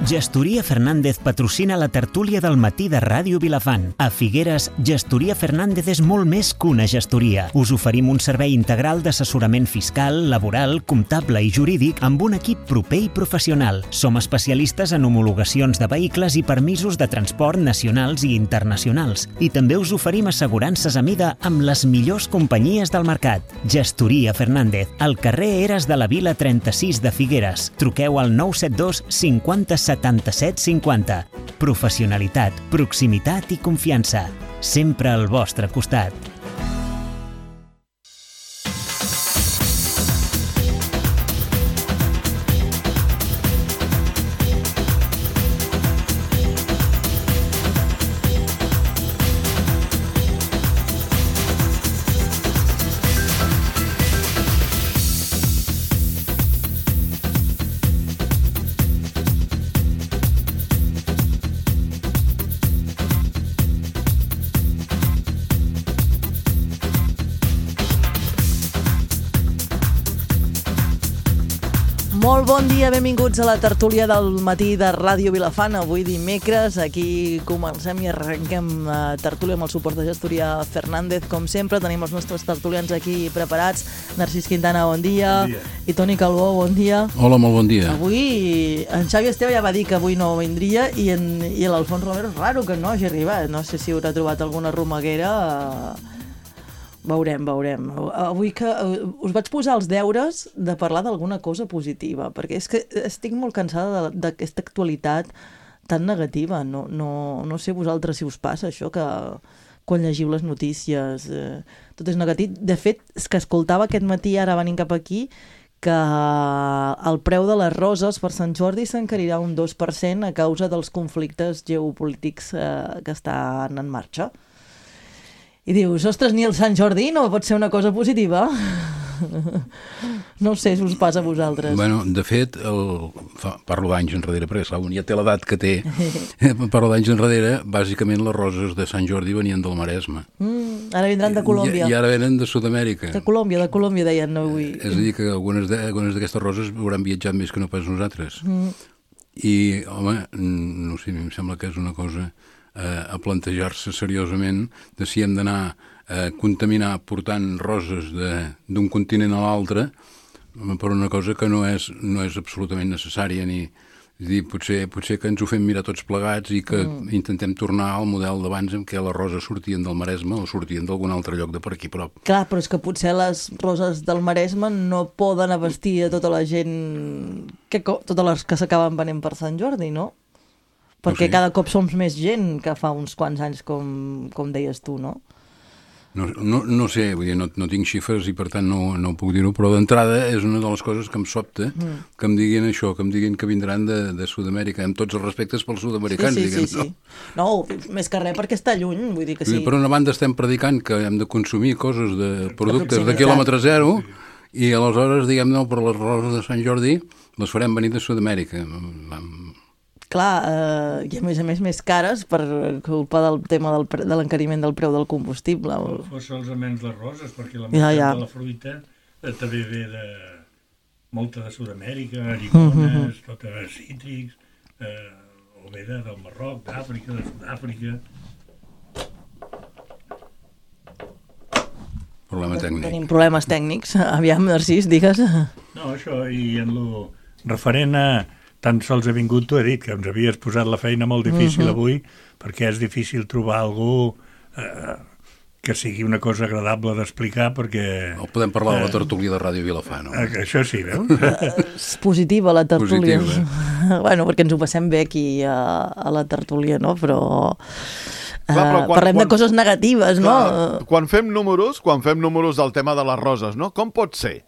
Gestoria Fernández patrocina la tertúlia del matí de Ràdio Vilafant. A Figueres, Gestoria Fernández és molt més que una gestoria. Us oferim un servei integral d'assessorament fiscal, laboral, comptable i jurídic amb un equip proper i professional. Som especialistes en homologacions de vehicles i permisos de transport nacionals i internacionals. I també us oferim assegurances a mida amb les millors companyies del mercat. Gestoria Fernández, al carrer Eres de la Vila 36 de Figueres. Truqueu al 972 50 77 50. Professionalitat, proximitat i confiança. Sempre al vostre costat. Molt bon dia, benvinguts a la tertúlia del matí de Ràdio Vilafant. Avui dimecres, aquí comencem i arrenquem la tertúlia amb el suport de Gestoria Fernández. Com sempre, tenim els nostres tertulians aquí preparats. Narcís Quintana, bon dia. Bon dia. I Toni Calbó, bon dia. Hola, molt bon dia. Avui, en Xavi Esteve ja va dir que avui no vindria i l'Alfons Romero és raro que no hagi arribat. No sé si haurà trobat alguna romeguera. Veurem. Avui que us vaig posar els deures de parlar d'alguna cosa positiva, perquè és que estic molt cansada d'aquesta actualitat tan negativa. No sé vosaltres si us passa això, que quan llegiu les notícies tot és negatiu. De fet, és que escoltava aquest matí, ara venint cap aquí, que el preu de les roses per Sant Jordi s'encarirà un 2% a causa dels conflictes geopolítics que estan en marxa. I dius, ostres, ni el Sant Jordi no pot ser una cosa positiva? No sé si us passa a vosaltres. Bueno, de fet, parlo d'anys enrere, perquè clar, ja té l'edat que té. Parlo d'anys enrere, bàsicament les roses de Sant Jordi venien del Maresme. Ara vindran de Colòmbia. I ara venen de Sud-amèrica. De Colòmbia deien avui. És a dir, que algunes d'aquestes roses hauran viatjat més que no pas nosaltres. I, home, no sé, em sembla que és una cosa a plantejar-se seriosament de si hem d'anar a contaminar portant roses d'un continent a l'altre per una cosa que no és absolutament necessària, ni dir, potser que ens ho fem mirar tots plegats i que intentem tornar al model d'abans en què les roses sortien del Maresme o sortien d'algun altre lloc de per aquí prop. Clar, però és que potser les roses del Maresme no poden abastir a tota la gent, totes les que s'acaben venent per Sant Jordi, no? Perquè cada cop som més gent que fa uns quants anys, com deies tu, no? No sé, vull dir, no tinc xifres i per tant no puc dir-ho, però d'entrada és una de les coses que em sobta, que em diguin això, que em diguin que vindran de Sud-amèrica, amb tots els respectes pels sud-americans, diguem. Sí. No, més que res perquè està lluny, vull dir que sí. Per una banda estem predicant que hem de consumir coses de productes de quilòmetre zero i aleshores, diguem, no, per les roses de Sant Jordi les farem venir de Sud-amèrica. Clar, i a més cares per culpa del tema de l'encariment del preu del combustible. Solament les roses, perquè la meitat de la fruita també ve molta de Sud-amèrica, lligones, totes cítrics, o ve del Marroc, d'Àfrica, de Sud-àfrica. Problema tècnic. Tenim problemes tècnics. Aviam, Narcís, digues. No, això, i en lo referent a tan sols he vingut, t'ho he dit, que ens havies posat la feina molt difícil avui, perquè és difícil trobar algú que sigui una cosa agradable d'explicar, perquè... O podem parlar de la tertúlia de Ràdio Vilafant, no? Això sí, veus? És positiva, la tertúlia. Positiva. Bueno, perquè ens ho passem bé aquí a la tertúlia, no? Però parlem de coses negatives, no? Quan fem números del tema de les roses, no? Com pot ser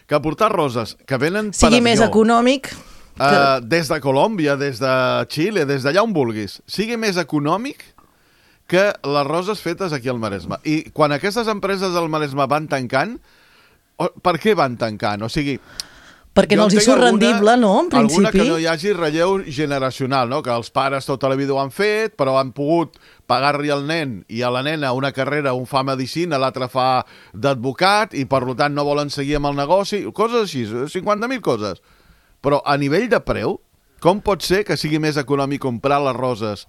que portar roses que venen per sigui més econòmic... des de Colòmbia, des de Xile, des d'allà on vulguis, sigui més econòmic que les roses fetes aquí al Maresme. I quan aquestes empreses del Maresme van tancant, per què van tancant? O sigui... Perquè no els hi surt rendible, no? En principi. Alguna que no hi hagi relleu generacional, no? Que els pares tota la vida ho han fet, però han pogut pagar-li al nen i a la nena una carrera, un fa medicina, l'altre fa d'advocat, i per tant no volen seguir amb el negoci, coses així, 50.000 coses. Però a nivell de preu, Com pot ser que sigui més econòmic comprar les roses?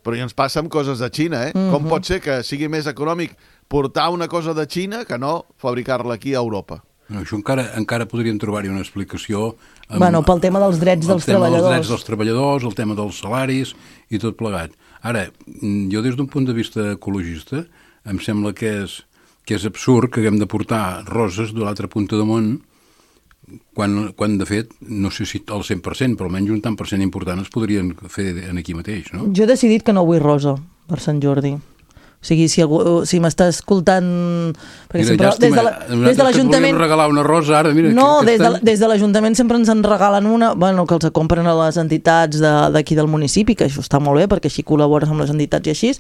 Però ja ens passa amb coses de Xina, Com pot ser que sigui més econòmic portar una cosa de Xina que no fabricar-la aquí a Europa? Això encara podríem trobar-hi una explicació... Pel tema dels drets dels treballadors. El tema dels drets dels treballadors, el tema dels salaris i tot plegat. Ara, jo des d'un punt de vista ecologista em sembla que és absurd que haguem de portar roses de l'altra punta del món quan de fet, no sé si el 100%, però almenys un tant per cent important es podrien fer aquí mateix, no? Jo he decidit que no vull rosa per Sant Jordi. O sigui, si m'està escoltant... Perquè mira, sempre, des de l'Ajuntament... regalar una rosa ara, mira... No, des de l'Ajuntament sempre ens en regalen una, que els compren a les entitats d'aquí del municipi, que això està molt bé, perquè així col·labores amb les entitats i així,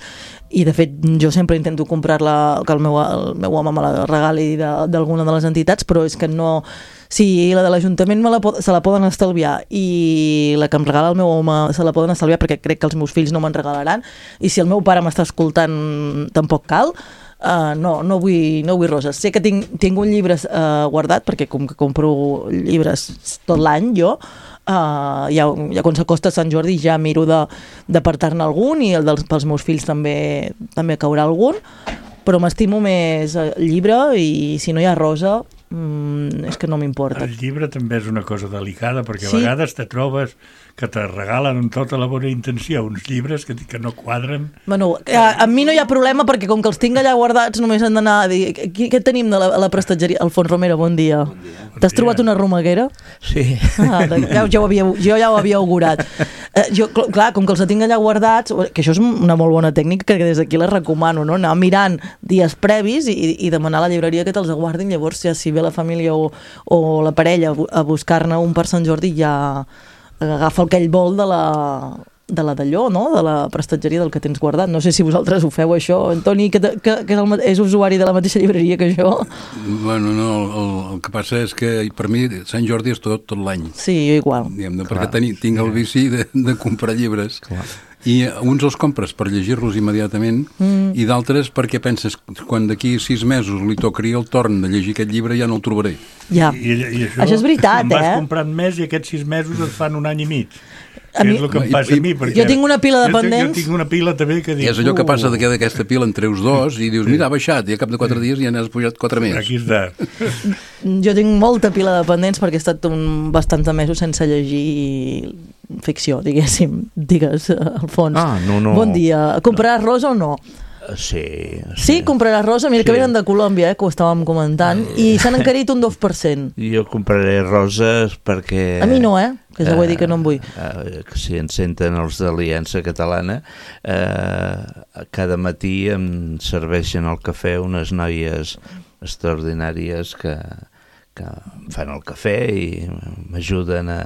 i de fet jo sempre intento comprar-la, que el meu home me la regali d'alguna de les entitats, però és que no... Si la de l'Ajuntament se la poden estalviar i la que em regala el meu home se la poden estalviar perquè crec que els meus fills no me'n regalaran, i si el meu pare m'està escoltant tampoc cal, no vull roses. Sé que tinc un llibre guardat, perquè com que compro llibres tot l'any jo, ja quan s'acosta Sant Jordi ja miro d'apartar-ne algun, i pels meus fills també caurà algun, però m'estimo més el llibre, i si no hi ha rosa és que no m'importa. El llibre també és una cosa delicada, perquè a vegades te trobes que te regalen amb tota la bona intenció uns llibres que no quadren. A mi no hi ha problema, perquè com que els tinc allà guardats només han d'anar a dir què tenim a la prestatgeria. Alfons Romero, bon dia. T'has trobat una romeguera? Sí. Jo ja ho havia augurat. Clar, com que els tinc allà guardats, que això és una molt bona tècnica que des d'aquí la recomano, no? Anar mirant dies previs i demanar a la llibreria que te'ls guardin. Llavors, ja si ve la família o la parella a buscar-ne un per Sant Jordi, ja agafa aquell bol de la d'allò, no? De la prestatgeria del que tens guardat. No sé si vosaltres ho feu, això. Antoni, que és usuari de la mateixa llibreria que jo. Bueno, no, el que passa és que per mi Sant Jordi és tot l'any. Sí, jo igual. Perquè tinc el vici de comprar llibres. Clar. I uns els compres per llegir-los immediatament i d'altres perquè penses quan d'aquí 6 mesos li tocaria el torn de llegir aquest llibre ja no el trobaré. Ja. I això és veritat, vas comprant més i aquests 6 mesos et fan un any i mig. És el que em passa a mi. Jo tinc una pila de pendents. Jo tinc una pila també que dic... És allò que passa d'aquesta pila en treus 2 i dius, mira, ha baixat, i a cap de 4 dies ja n'has pujat 4 més. Aquí està. Jo tinc molta pila de pendents perquè he estat bastants mesos sense llegir ficció, diguéssim. Digues, Alfons. No. Bon dia. Compraràs rosa o no? Sí, compraràs rosa? Mira, que venen de Colòmbia, que ho estàvem comentant, i s'han encarit un 2%. Jo compraré roses perquè... A mi no, que ja ho he dit que no en vull. Si ens senten els d'Aliança Catalana, cada matí em serveixen al cafè unes noies extraordinàries que fan el cafè i m'ajuden a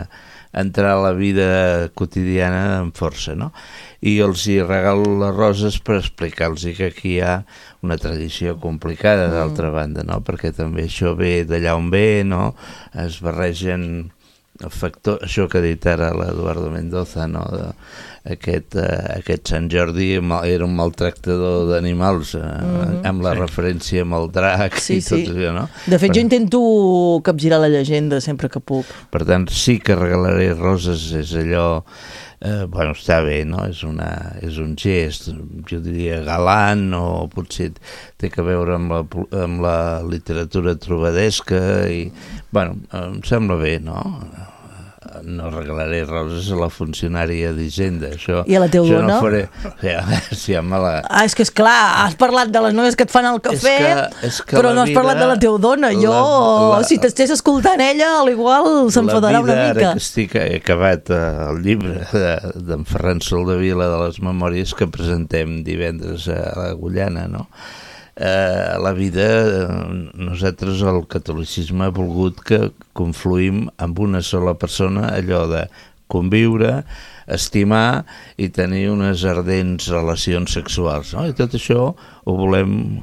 entrar a la vida quotidiana amb força, no? I els hi regalo les roses per explicar-los que aquí hi ha una tradició complicada, d'altra banda, no? Perquè també això ve d'allà on ve, no? Es barregen el factor, això que ha dit ara l'Eduardo Mendoza, no? Aquest Sant Jordi era un maltractador d'animals, amb la referència amb el drac i tot això, no? De fet, jo intento capgirar la llegenda sempre que puc. Per tant, sí que regalaré roses, és allò... bueno, està bé, no? És un gest, jo diria galant, o potser té que veure amb la literatura trobadesca i, bueno, em sembla bé, no? No regalaré roses a la funcionària d'Hisenda, això... I a la teva dona? No faré... Sí, és que, esclar, has parlat de les noies que et fan el cafè, però no has parlat de la teva dona. Si t'estés escoltant ella, al igual s'enfadarà una mica. Ara que he acabat el llibre d'en Ferran Soldevila de les memòries que presentem divendres a l'Agullana, no? La vida, nosaltres el catolicisme ha volgut que confluïm amb una sola persona, allò de conviure, estimar i tenir unes ardents relacions sexuals, no? I tot això ho volem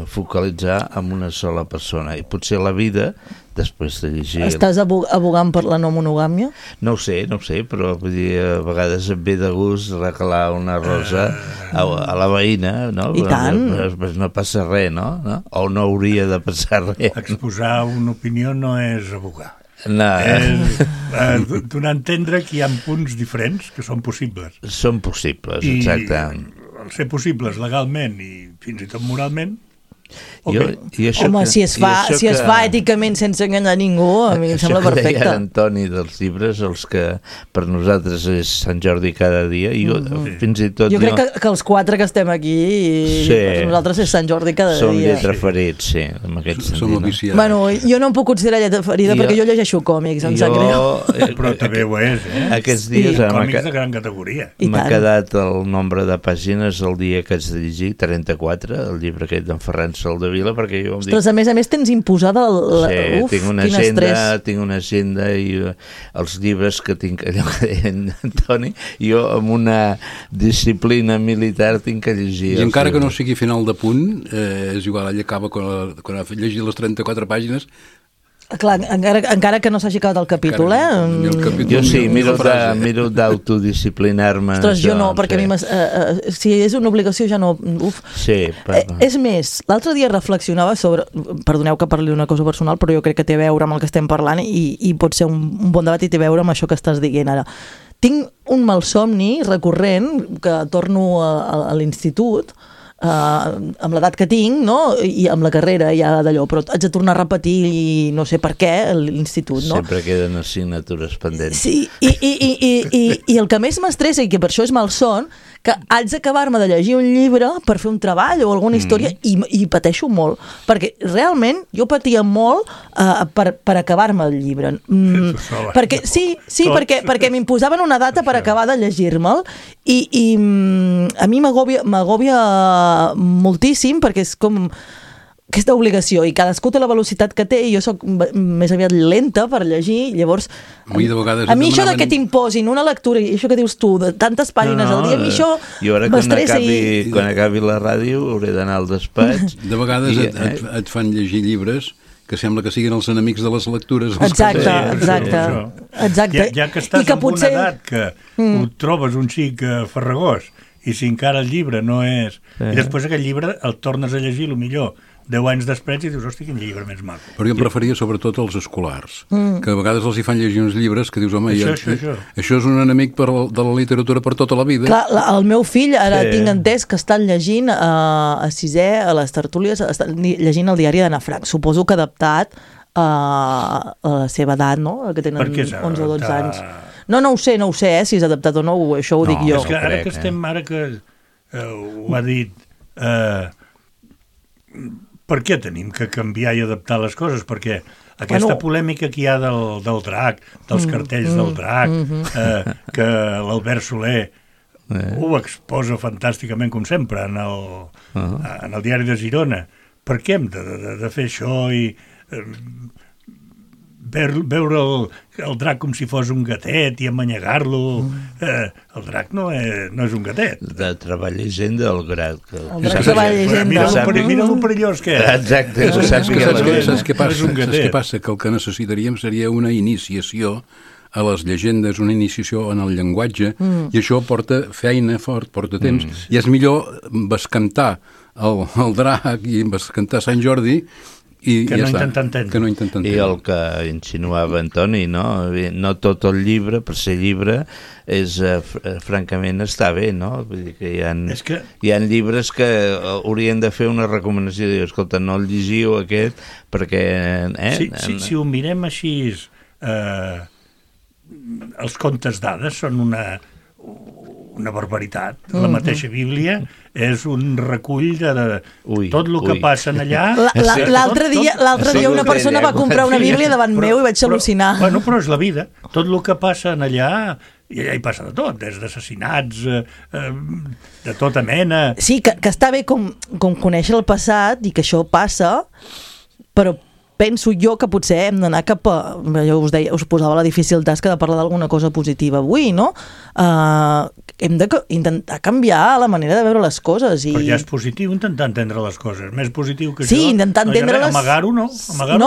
focalitzar en una sola persona, i potser la vida, després de llegir... Estàs abogant per la no monogàmia? No ho sé, però vull dir, a vegades em ve de gust regalar una rosa a la veïna, no? I tant! No passa res, no? O no hauria de passar res. Exposar una opinió no és abogar. No. És donar a entendre que hi ha punts diferents que són possibles. Són possibles, exacte. I al ser possibles legalment i fins i tot moralment, Home, si es fa èticament sense enganyar ningú, a mi em sembla perfecte. Això que deia Antoni dels llibres, els que per nosaltres és Sant Jordi cada dia, i jo fins i tot... Jo crec que els 4 que estem aquí, per nosaltres és Sant Jordi cada dia. Som lletraferits, sí, en aquest sentit. Som viciats. Bueno, jo no em puc considerar lletraferida perquè jo llegeixo còmics, em sap greu. Però també ho és, Aquests dies... Còmics de gran categoria. M'ha quedat el nombre de pàgines el dia que haig de llegir, 34, el llibre aquest d'en Ferran Soldevila, perquè jo em dic... Ostres, a més tens imposada Uf, tinc una agenda i els llibres que tinc, allò que deia Antoni, jo amb una disciplina militar tinc que llegir. I encara que no sigui final de punt, és igual, ell acaba quan ha llegit les 34 pàgines. Clar, encara que no s'hagi acabat el capítol, Jo sí, miro d'autodisciplinar-me. Ostres, jo no, perquè a mi si és una obligació ja no... Sí, és més, l'altre dia reflexionava sobre... Perdoneu que parli d'una cosa personal, però jo crec que té a veure amb el que estem parlant i pot ser un bon debat i té a veure amb això que estàs dient ara. Tinc un malsomni recurrent que torno a l'institut, amb l'edat que tinc, no? I amb la carrera ja d'allò, però haig de tornar a repetir i no sé per què l'institut, no? Sempre queden assignatures pendents. Sí, i el que més m'estressa i que per això és malson, que haig d'acabar-me de llegir un llibre per fer un treball o alguna història i pateixo molt, perquè realment jo patia molt per acabar-me el llibre. Perquè perquè m'imposaven una data per acabar de llegir-me'l i a mi m'agòbia moltíssim perquè és com aquesta obligació i cadascú té la velocitat que té i jo soc més aviat lenta per llegir, llavors a mi això que t'imposin una lectura i això que dius tu, de tantes pàgines al dia, a mi això m'estressa quan acabi la ràdio hauré d'anar al despatx. De vegades et fan llegir llibres que sembla que siguin els enemics de les lectures. Exacte. Ja que estàs en una edat que ho trobes un xic farragós i si encara el llibre no és... I després aquell llibre el tornes a llegir, millor 10 anys després i dius, hosti, quin llibre més maco. Però jo em referia sobretot als escolars, que a vegades els hi fan llegir uns llibres que dius, home, això és un enemic de la literatura per tota la vida. Clar, el meu fill, ara tinc entès que estan llegint a sisè, a les tertúlies, estan llegint el diari d'Anna Frank, suposo que adaptat a la seva edat, no? Que tenen 11 o 12 anys. No ho sé, si és adaptat o no, això ho dic jo. És que ara que ho ha dit... Per què tenim que canviar i adaptar les coses? Perquè aquesta polèmica que hi ha del drac, dels cartells del drac, que l'Albert Soler ho exposa fantàsticament, com sempre, en el diari de Girona. Per què hem de fer això i veure el drac com si fos un gatet i amanyegar-lo? El drac no és un gatet. De treball llegenda del drac. El drac treball llegenda. Mira lo perillós que és. Exacte. Saps què passa? Que el que necessitaríem seria una iniciació a les llegendes, una iniciació en el llenguatge, i això porta feina fort, porta temps, i és millor bescantar el drac i bescantar Sant Jordi que no intenta entendre. I el que insinuava Antoni, no tot el llibre, per ser llibre, francament està bé, no? Vull dir que hi ha llibres que haurien de fer una recomanació, dir, escolta, no el llegiu aquest, perquè... Si ho mirem així, els contes d'hades són una barbaritat. La mateixa Bíblia és un recull de tot el que passa allà. L'altre dia una persona va comprar una Bíblia davant meu i vaig al·lucinar. Però és la vida. Tot el que passa allà, i allà hi passa de tot, des d'assassinats, de tota mena. Sí, que està bé com conèixer el passat i que això passa, però penso jo que potser hem d'anar cap a... Jo us posava la difícil tasca de parlar d'alguna cosa positiva avui, no? Hem d'intentar canviar la manera de veure les coses. Però ja és positiu intentar entendre les coses. Més positiu que sí, intentar entendre-les... Amagar-ho no.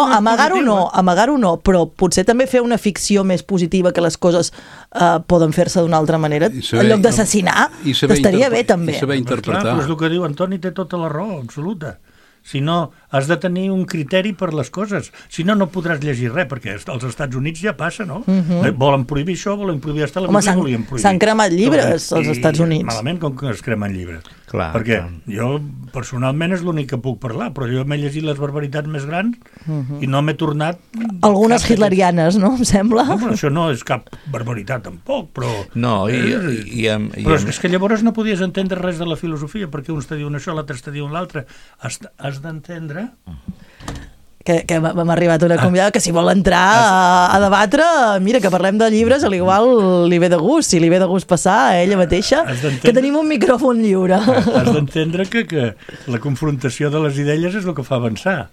Amagar-ho no, però potser també fer una ficció més positiva que les coses poden fer-se d'una altra manera, en lloc d'assassinar, estaria bé també. I saber interpretar. Clar, però és el que diu Antoni, té tota la raó absoluta. Si no, has de tenir un criteri per les coses. Si no, no podràs llegir res, perquè als Estats Units ja passa, no? Volen prohibir això, volen prohibir aquesta la Bíblia, volien prohibir. S'han cremat llibres als Estats Units. Malament com que es cremen llibres. Clar, perquè jo, personalment, és l'únic que puc parlar, però jo m'he llegit les barbaritats més grans i no m'he tornat... Algunes hitlerianes, no? Em sembla. No, però això no és cap barbaritat, tampoc, però... No, però és que llavors no podies entendre res de la filosofia, perquè uns te diuen això, l'altre te diuen l'altre. Has d'entendre... Que m'ha arribat una convidada que si vol entrar a debatre, mira, que parlem de llibres, a l'igual li ve de gust, si li ve de gust passar a ella mateixa, que tenim un micròfon lliure. Has d'entendre que la confrontació de les idees és el que fa avançar.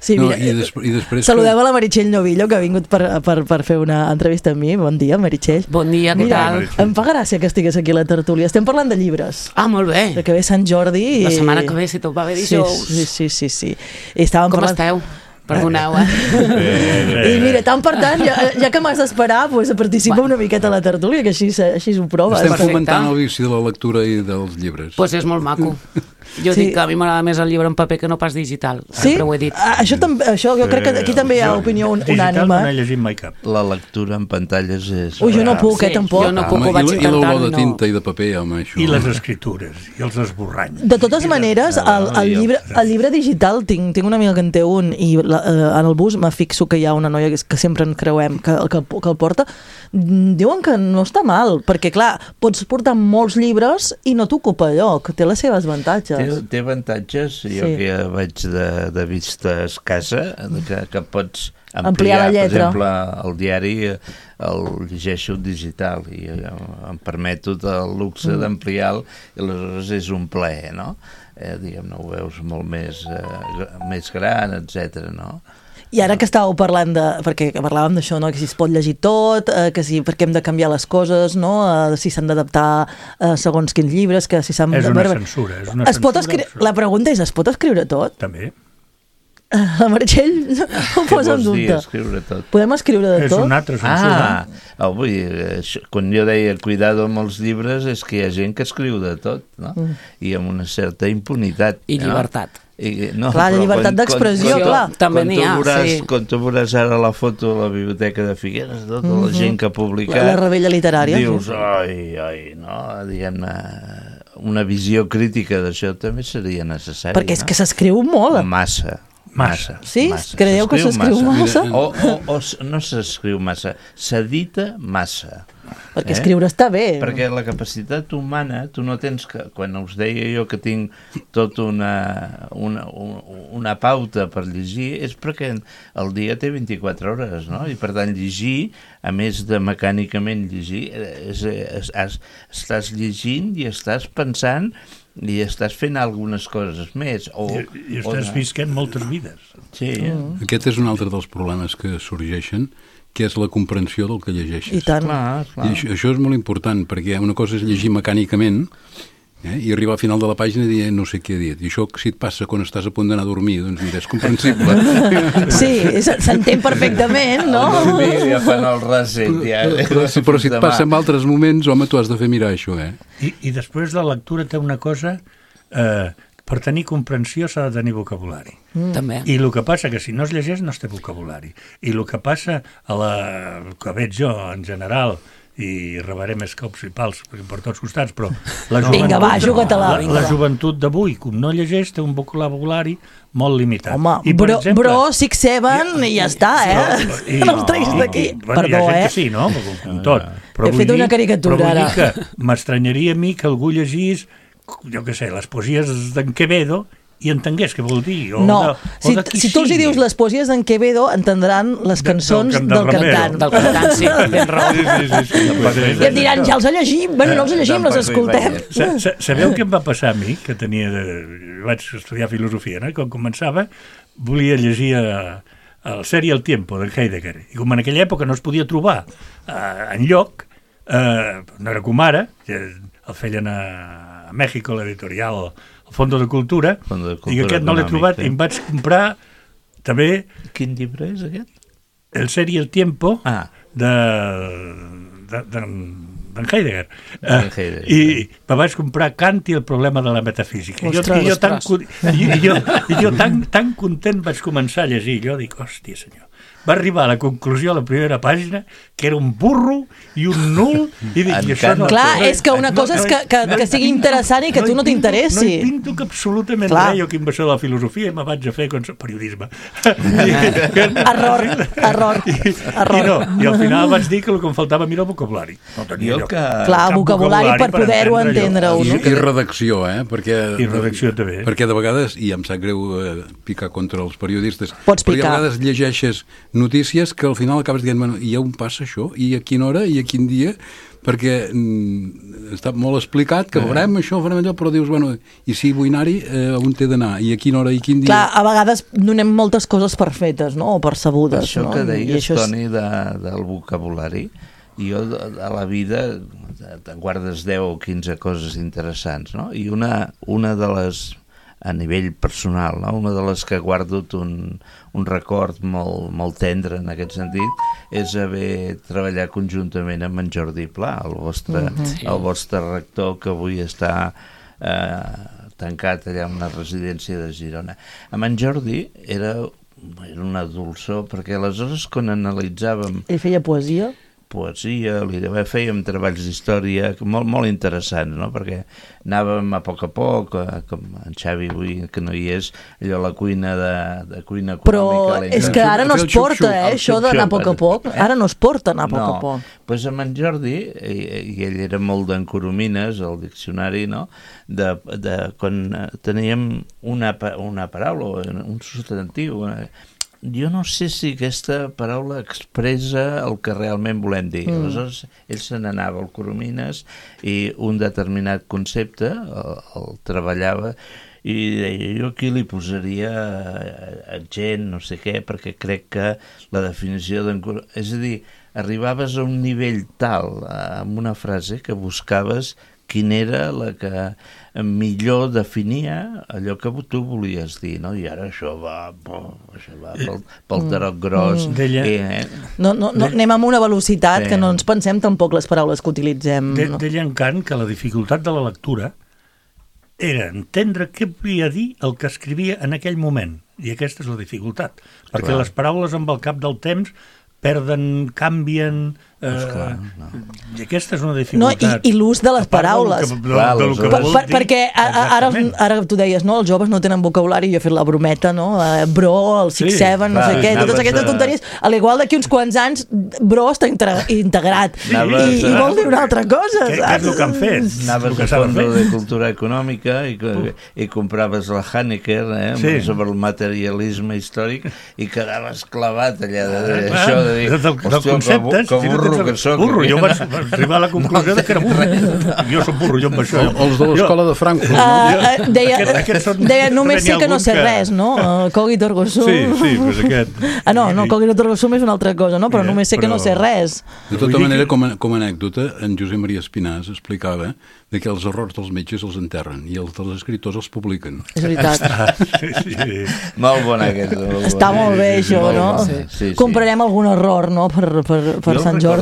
Sí, mira, I després saludem a la Meritxell Novillo, que ha vingut per fer una entrevista amb mi. Bon dia, Meritxell. Bon dia, què tal? Em fa gràcia que estigués aquí a la tertúlia. Estem parlant de llibres. Ah, molt bé. Que ve Sant Jordi. La setmana que ve, si tot va bé dijous. Sí. I estàvem Com parlant... esteu? Perdoneu, I mira, tant per tant, ja que m'has d'esperar, pues, participa una miqueta a la tertúlia, que així ho proves. Estem Perfecte. fomentant el vici de la lectura i dels llibres. Doncs és molt maco. Jo dic que a mi m'agrada més el llibre en paper que no pas digital. Sí? Sempre ho he dit. Això jo crec que aquí també hi ha opinió Digital no unànime. n'he llegit mai cap. la lectura en pantalles és... Ui, jo no puc, tampoc. Jo no puc, ho vaig I l'olor intentant. de tinta i de paper, home, això... I les escritures, i els esborranys. De totes maneres, el llibre digital, tinc una amiga que en té un, i en el bus me fixo que hi ha una noia que sempre en creuem que el porta, diuen que no està mal, perquè clar, pots portar molts llibres i no t'ocupa lloc, té les seves avantatges. Té avantatges, jo Sí. que ja vaig de vista escassa, que pots Ampliar la lletra. Per exemple, el diari el llegeixo digital i em permeto el luxe d'ampliar-lo i aleshores és un plaer, no? Diguem-ne, ho veus molt més gran, etc. no? I ara que estàveu parlant perquè parlàvem d'això, no? Que si es pot llegir tot, que si perquè hem de canviar les coses, no? Si s'han d'adaptar segons quins llibres, que si s'han... És una censura, és una censura. La pregunta és, es pot escriure tot? També. La Meritxell ho posa en Què vols dir, dubte. escriure tot? Podem escriure de És tot? una altra censura. Vull dir, quan jo deia cuidado amb els llibres és que hi ha gent que escriu de tot, no? I amb una certa impunitat. I llibertat. No, Clar, la llibertat d'expressió, clar. També n'hi ha, sí. Quan tu veuràs ara la foto a la biblioteca de Figueres, tota la gent que ha publicat... La rebella literària. Dius, ai, no? Diguem-ne, una visió crítica d'això també seria necessària. Perquè és que s'escriu molt. Massa. Sí? Creieu que s'escriu massa? O no s'escriu massa, s'edita massa. Perquè escriure està bé. Perquè la capacitat humana, tu no tens que... Quan us deia jo que tinc tota una pauta per llegir, és perquè el dia té 24 hores, no? I per tant llegir, a més de mecànicament llegir, estàs llegint i estàs pensant i estàs fent algunes coses més. I estàs visquent moltes vides. Sí. Aquest és un altre dels problemes que sorgeixen, que és la comprensió del que llegeixes. I tant. Clar. I això és molt important, perquè una cosa és llegir mecànicament i arribar al final de la pàgina i dir no sé què he dit. I això, si et passa quan estàs a punt d'anar a dormir, doncs mira, és comprensible. Sí, s'entén perfectament, no? Dormir ja fan el reset. Ja. Però si et passa en altres moments, home, tu has de fer mirar això, I després la lectura té una cosa... per tenir comprensió s'ha de tenir vocabulari. També. I el que passa que si no es llegeix no es té vocabulari. I el que passa que veig jo en general, i rebaré més cops i pals per tots costats, però la joventut, Vinga, va, juga-te-la. la joventut d'avui, com no llegeix, té un vocabulari molt limitat. Home, I, per exemple, bro, 6-7 i ja està, No els treguis d'aquí. Bueno, Perdó, hi ha gent que sí, no? Com tot. Però He vull fet una caricatura, però vull ara. dir que m'estranyaria a mi que algú llegís, jo què sé, les poesies d'en Quevedo i entengués què vol dir. No, si tu els hi dius les poesies d'en Quevedo, entendran les cançons del cantant. Del cantant, sí, tens raó. Sí. I em diran, ja els llegim, bueno, no els llegim, les escoltem. Sabeu què em va passar a mi? Que vaig estudiar filosofia, no? I quan començava volia llegir el Ser i el Tiempo, de Heidegger. I com en aquella època no es podia trobar enlloc, no era com ara, que el feien a Mèxico, l'editorial, el Fondo de Cultura, i que aquest no l'he trobat, i em vaig comprar també... Quin llibre és aquest? El Ser y el Tiempo, d'en Heidegger. I me vaig comprar Kant i el problema de la metafísica. I jo tan content vaig començar a llegir. Jo dic, hòstia senyor, va arribar a la conclusió a la primera pàgina que era un burro i un nul i dic, i això no... Clar, és que una cosa és que sigui interessant i que tu no t'interessi. No hi pinto que absolutament res, jo que em va ser de la filosofia i me vaig a fer periodisme. Error. I al final vaig dir que el que em faltava a mi era el vocabulari. No tenia lloc. Clar, vocabulari per poder-ho entendre-ho. I redacció, I redacció també. Perquè de vegades, i em sap greu picar contra els periodistes, pots picar. Perquè a vegades llegeixes notícies que al final acabes dient, bueno, i on passa això? I a quina hora? I a quin dia? Perquè està molt explicat que farem això, farem allò, però dius, bueno, i si vull anar-hi, on t'he d'anar? I a quina hora i quin dia? Clar, a vegades donem moltes coses per fetes, no? O per sabudes. Això no? Que deies, Toni, del vocabulari, jo a la vida te'n guardes 10 o 15 coses interessants, no? I una de les, a nivell personal, no? Una de les que guardo un record molt tendre en aquest sentit és haver treballat conjuntament amb en Jordi Pla, el vostre rector, que avui està tancat allà en una residència de Girona. Amb en Jordi era una dolçor, perquè aleshores quan analitzàvem... Ell feia poesia? Fèiem treballs d'història molt interessants, no? Perquè anàvem a poc, com en Xavi avui, que no hi és, allò la cuina de cuina econòmica. Però és que ara no es porta, això d'anar a poc a poc. Ara no es porta anar a poc a poc. Doncs amb en Jordi, i ell era molt d'en Coromines, el diccionari, no? Quan teníem una paraula, un substantiu, jo no sé si aquesta paraula expressa el que realment volem dir. Aleshores, ell se n'anava al Coromines i un determinat concepte el treballava i deia, jo aquí li posaria gent, no sé què, perquè crec que la definició d'en Coromines... És a dir, arribaves a un nivell tal amb una frase que buscaves quina era la que millor definia allò que tu volies dir, no? I ara això va pel tarot gros. No, anem amb una velocitat que no ens pensem tampoc les paraules que utilitzem. Deia en Kant que la dificultat de la lectura era entendre què volia dir el que escrivia en aquell moment. I aquesta és la dificultat. Perquè les paraules amb el cap del temps perden, canvien... I aquesta és una dificultat. I l'ús de les paraules. Perquè ara tu deies, no, els joves no tenen vocabulari, jo he fet la brometa, no? Bro, el 6-7, no sé què, totes aquestes tonteries. A l'igual d'aquí uns quants anys, bro està integrat. I vol dir una altra cosa, saps? Què és el que han fet? Anaves a Fondo de Cultura Econòmica i compraves la Hanecker sobre el materialisme històric i quedaves clavat allà d'això de dir, hòstia, que burro que soc. Jo vaig arribar a la conclusió que era burro. Jo soc burro, jo amb això. Els de l'escola de Frankfurt, no? Deia, només sé que no sé res, no? Cogit ergo sum. Sí, pues aquest. No, cogit ergo sum és una altra cosa, no? Però només sé que no sé res. De tota manera, com a anècdota, en Josep Maria Espinàs explicava que els errors dels metges els enterren i els dels escriptors els publiquen. És veritat. Molt bon aquest. Està molt bé, això, no? Comprarem algun error, no?, per Sant Jordi.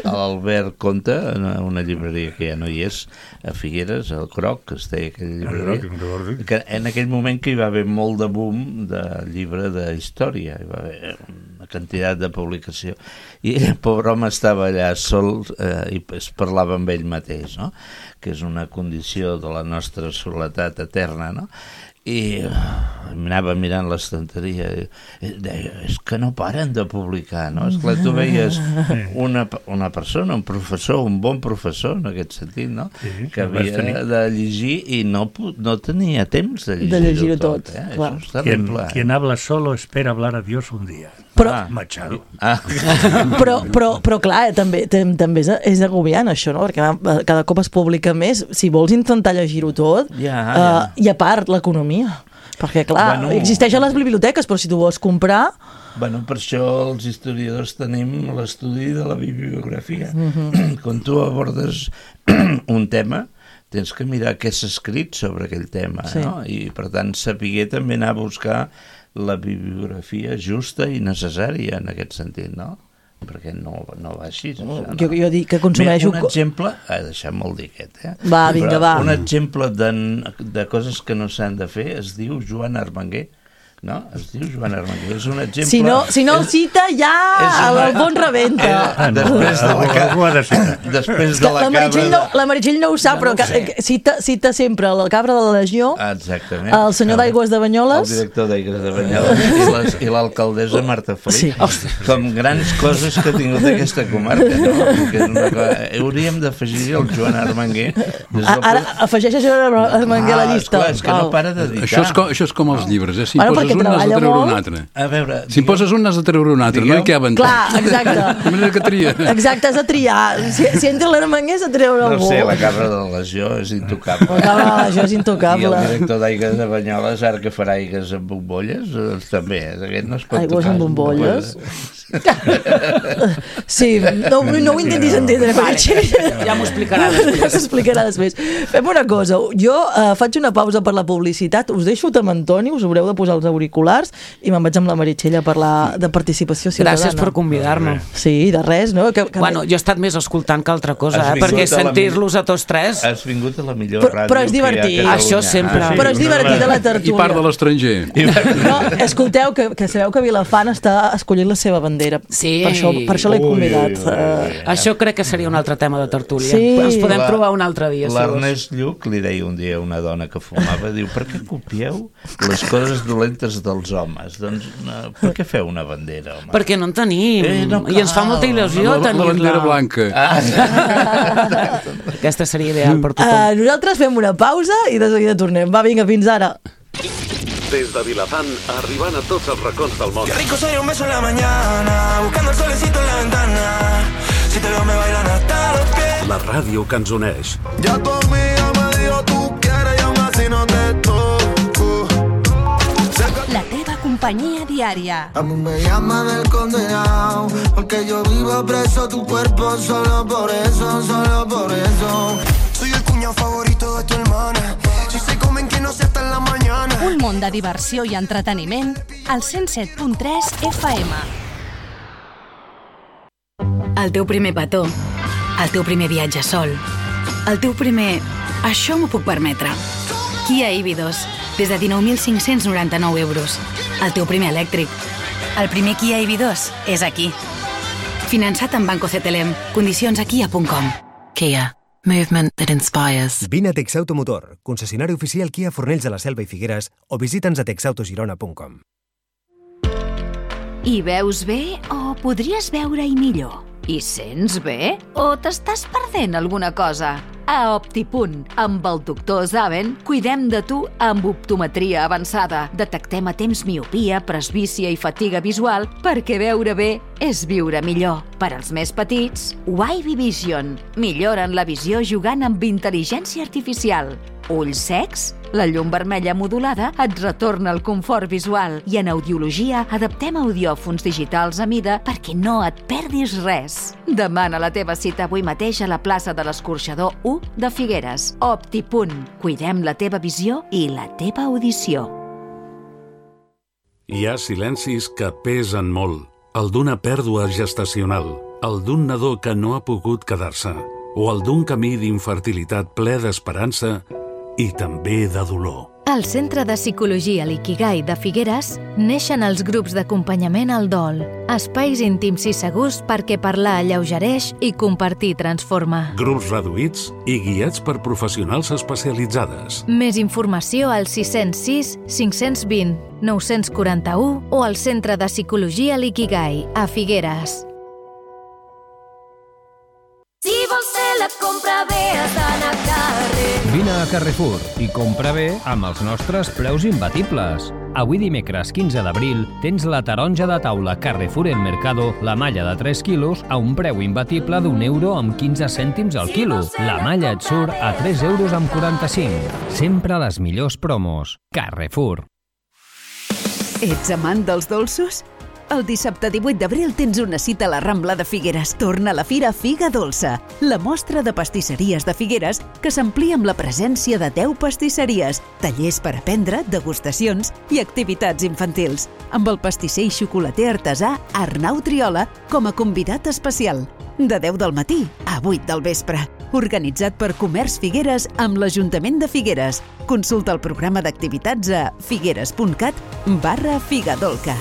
L'Albert Conte, en una llibreria que ja no hi és, a Figueres, el Croc, que es deia aquella llibreria, que en aquell moment que hi va haver molt de boom de llibre de història, hi va haver una quantitat de publicació, i el pobre home estava allà sol i es parlava amb ell mateix, no?, que és una condició de la nostra soledat eterna, no?, i anava mirant l'estanteria i deia, és que no paren de publicar, no? Esclar, tu veies una persona, un professor, un bon professor en aquest sentit, no? Que havia de llegir i no tenia temps de llegir-ho tot. Això és terrible. Quien habla solo espera hablar a Dios un día. Machado. Però clar, també és agobiant això, no? Perquè cada cop es publica més. Si vols intentar llegir-ho tot, i a part l'economia, perquè clar, existeix a les biblioteques, però si tu vols comprar... Per això els historiadors tenim l'estudi de la bibliografia. Quan tu abordes un tema, tens que mirar què s'ha escrit sobre aquell tema, no? I per tant saber també anar a buscar la bibliografia justa i necessària en aquest sentit, no? perquè no va així. Jo dic que consumeixo... Un exemple, deixem-me'l dir aquest, Va, vinga, va. Un exemple de coses que no s'han de fer es diu Joan Armenguer. No? Es diu Joan Armenguer. És un exemple... Si no el cita, ja l'Alfons rebenta. Després de la cabra... La Meritxell no ho sap, però cita sempre la cabra de la Legió, el senyor d'Aigües de Banyoles... El director d'Aigües de Banyoles i l'alcaldessa Marta Felip. Com grans coses que ha tingut aquesta comarca. Hauríem d'afegir el Joan Armenguer. Ara afegeix a Joan Armenguer a la llista. És que no para de dir. Això és com els llibres, Si poses un, n'has de treure un altre. Si poses un, n'has de treure un altre. No hi caben tots. Clar, exacte. De que tria. Exacte, has de triar. Si entra l'Armenguer, has de treure algú. No sé, la cabra de la Legió és intocable. La cabra de la Legió és intocable. I el director d'Aigües de Banyoles, ara que farà aigues amb bombolles, també. Aquest no es pot aigües amb bombolles? Sí, no ho intentis entendre, Meritxell. Ja m'ho explicarà després. Fem una cosa, jo faig una pausa per la publicitat, us deixo amb Antoni, us haureu de posar els auriculars i me'n vaig amb la Meritxell a parlar de participació ciutadana. Gràcies per convidar-me. Sí, de res, no? Bueno, jo he estat més escoltant que altra cosa, perquè sentir-los a tots tres... Has vingut a la millor ràdio però és divertit. Això sempre. Però és divertit a la tertúlia. I part de l'estranger. No, escolteu, que sabeu que Vilafant està escollint la seva bandera. Sí. Per això l'he convidat. Això crec que seria un altre tema de tertúlia. Sí. Ens podem trobar un altre dia. L'Ernest Lluch li deia un dia a una dona que fumava, diu, per què copieu les coses dolentes dels homes? Doncs per què feu una bandera, home? Perquè no en tenim. I ens fa molta il·lusió tenir-la. La bandera blanca. Aquesta seria ideal per tothom. Nosaltres fem una pausa i de seguida tornem. Va, vinga, fins ara. Des de Vilafant, arribant a tots els racons del món. Qué rico soy un beso en la mañana, buscando el solecito en la ventana. Si te veo me bailan hasta los pies. La ràdio que ens uneix. Ya conmigo me dijo tú quieres y aún así no te toco. La teva companyia diària. A mí me llaman el condenado, porque yo vivo preso tu cuerpo solo por eso, solo por eso. Soy el cuñado favorito de tu hermana. Si se comen que no sea hasta en la mañana. Un món de diversió i entreteniment al 107.3 FM. El teu primer petó, el teu primer viatge sol, el teu primer... Això m'ho puc permetre. Kia EV2, des de 19.599 euros. El teu primer elèctric. El primer Kia EV2 és aquí. Finançat amb Banco CTLM. Condicions a kia.com. Kia. Movement that inspires. Vine a Texauto Motor, concessionari oficial Kia Fornells de la Selva i Figueres, o visita'ns a texautogirona.com. Hi veus bé o podries veure-hi millor? Hi sents bé o t'estàs perdent alguna cosa? A Optipunt, amb el doctor Zaven, cuidem de tu amb optometria avançada. Detectem a temps miopia, presbícia i fatiga visual perquè veure bé és viure millor. Per als més petits, Wavy Vision. Milloren la visió jugant amb intel·ligència artificial. Ulls secs? La llum vermella modulada et retorna el confort visual i en audiologia adaptem audiòfons digitals a mida perquè no et perdis res. Demana la teva cita avui mateix a la plaça de l'Escorxador 1 de Figueres. Optipunt. Cuidem la teva visió i la teva audició. Hi ha silencis que pesen molt. El d'una pèrdua gestacional, el d'un nadó que no ha pogut quedar-se, o el d'un camí d'infertilitat ple d'esperança i també de dolor. Al Centre de Psicologia L'Ikigai de Figueres neixen els grups d'acompanyament al dol, espais íntims i segurs perquè parlar alleugereix i compartir transforma. Grups reduïts i guiats per professionals especialitzades. Més informació al 606 520 941 o al Centre de Psicologia L'Ikigai a Figueres. Si vols fer la compra bé, has d'anar a carrer. Vine a Carrefour i compra bé amb els nostres preus imbatibles. Avui dimecres 15 d'abril tens la taronja de taula Carrefour El Mercado, la malla de 3 quilos, a un preu imbatible d'1 € amb 15 cèntims al quilo. La malla et surt a 3 € amb 45. Sempre les millors promos. Carrefour. Ets amant dels dolços? El dissabte 18 d'abril tens una cita a la Rambla de Figueres. Torna a la Fira Figa Dolça, la mostra de pastisseries de Figueres que s'amplia amb la presència de 10 pastisseries, tallers per aprendre, degustacions i activitats infantils, amb el pastisser i xocolater artesà Arnau Triola com a convidat especial. De 10 del matí a 8 del vespre. Organitzat per Comerç Figueres amb l'Ajuntament de Figueres. Consulta el programa d'activitats a figueres.cat/Figadolca.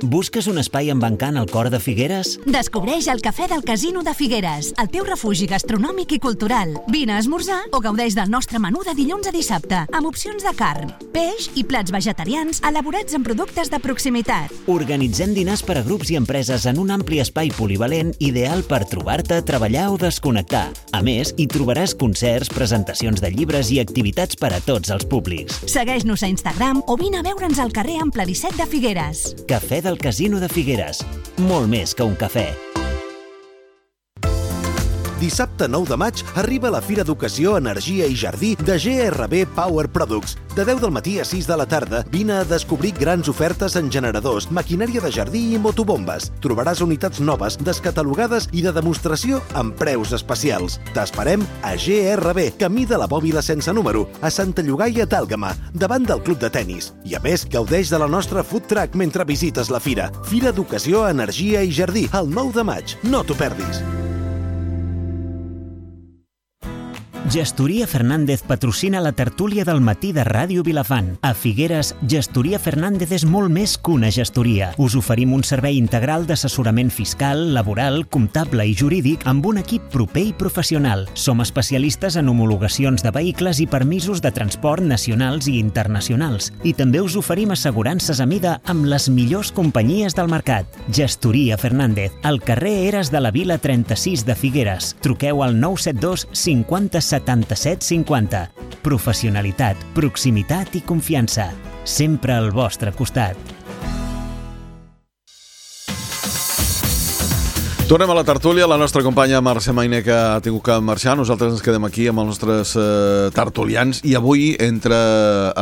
Busques un espai amb encant al cor de Figueres? Descobreix el Cafè del Casino de Figueres, el teu refugi gastronòmic i cultural. Vine a esmorzar o gaudeix del nostre menú de dilluns a dissabte, amb opcions de carn, peix i plats vegetarians elaborats amb productes de proximitat. Organitzem dinars per a grups i empreses en un ampli espai polivalent ideal per trobar-te, treballar o desconnectar. A més, hi trobaràs concerts, presentacions de llibres i activitats per a tots els públics. Segueix-nos a Instagram o vine a veure'ns al carrer Ample 17 de Figueres. Cafè del Casino de Figueres. Molt més que un cafè. Dissabte 9 de maig arriba la Fira d'Educació, Energia i Jardí de GRB Power Products. De 10 del matí a 6 de la tarda, vine a descobrir grans ofertes en generadors, maquinària de jardí i motobombes. Trobaràs unitats noves, descatalogades i de demostració amb preus especials. T'esperem a GRB, camí de la Bòbila sense número, a Santa Llogaia d'Àlgama, davant del club de tennis. I a més, gaudeix de la nostra food truck mentre visites la fira. Fira d'Educació, Energia i Jardí, el 9 de maig. No t'ho perdis. Gestoria Fernández patrocina la tertúlia del matí de Ràdio Vilafant. A Figueres, Gestoria Fernández és molt més que una gestoria. Us oferim un servei integral d'assessorament fiscal, laboral, comptable i jurídic amb un equip proper i professional. Som especialistes en homologacions de vehicles i permisos de transport nacionals i internacionals. I també us oferim assegurances a mida amb les millors companyies del mercat. Gestoria Fernández, al carrer Eres de la Vila 36 de Figueres. Truqueu al 972 50 77 50. Professionalitat, proximitat i confiança. Sempre al vostre costat. Tornem a la tertúlia. La nostra companya Mercè Mainer, que ha tingut que marxar. Nosaltres ens quedem aquí amb els nostres tertulians i avui entra